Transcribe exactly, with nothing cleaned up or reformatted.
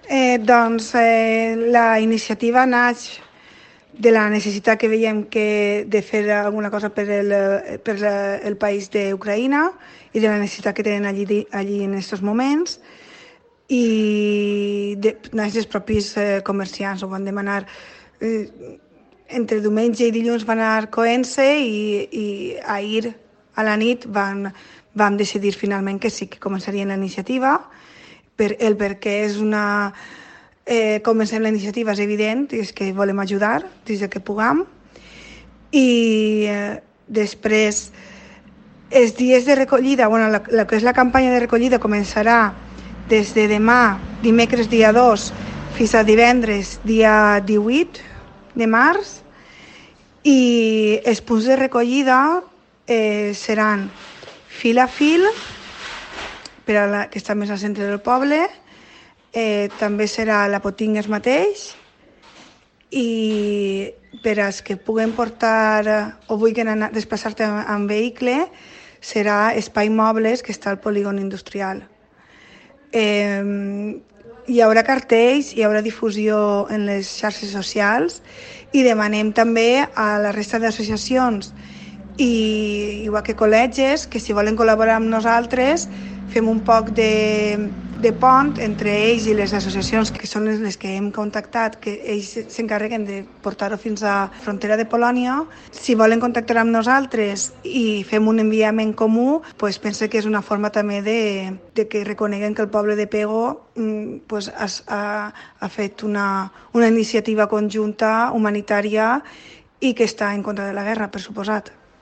Eh, doncs eh, la iniciativa naix de la necessitat que veiem que de fer alguna cosa per el, per el país d'Ucraïna i de la necessitat que tenen allí, allí en aquests moments, i de, els propis eh, comerciants ho van demanar. Eh, entre diumenge i dilluns van anar coent-se i, i ahir a la nit van, vam decidir finalment que sí, que començarien la iniciativa. Per, el perquè és una... Eh, comencem la iniciativa és evident, és que volem ajudar des que puguem, i eh, després els dies de recollida, bueno, la, la que és la campanya de recollida començarà des de demà, dimecres dia dos, fins a divendres dia divuit de març, i els punts de recollida eh, seran fil a fil, per a la, que està més al centre del poble, eh, també serà la Potingues mateix, i per als que puguen portar o vulguin anar, desplaçar-te en vehicle, serà Espai Mobles, que està al polígon industrial. Eh, hi haurà cartells, hi haurà difusió en les xarxes socials, i demanem també a la resta d'associacions i igual que col·legis que si volen col·laborar amb nosaltres fem un poc de, de pont entre ells i les associacions que són les que hem contactat, que ells s'encarreguen de portar-ho fins a la frontera de Polònia. Si volen contactar amb nosaltres i fem un enviament comú, pues penso que és una forma també de, de que reconeguen que el poble de Pego pues, ha, ha fet una, una iniciativa conjunta humanitària i que està en contra de la guerra, per suposat.